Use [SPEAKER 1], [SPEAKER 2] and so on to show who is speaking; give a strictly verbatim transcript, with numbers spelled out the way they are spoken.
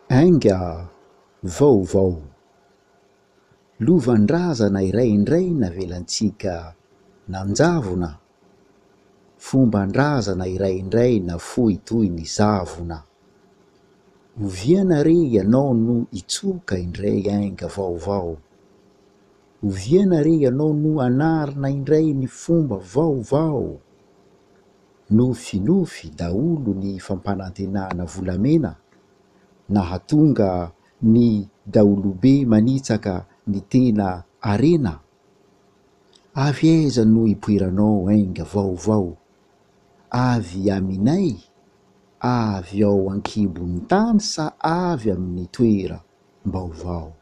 [SPEAKER 1] Ainga vaovao. Lovan-drazana iray indray navelantsika nanjavona. Fomban-drazana iray indray nafoy toy ny zavona. Oviana re ianao no hitsoka indray ainga vaovao? Oviana re ianao no hanarina indray ny fomba vaovao? Nofinofy daholo ny fampanantenana volamena nahatonga ny daholobe manitsaka ny tena harena. Avy aiza no ipoiranao ainga vaovao? Avy aminay? Avy ao an-kibon'ny tany sa avy amin'ny toeram-baovao?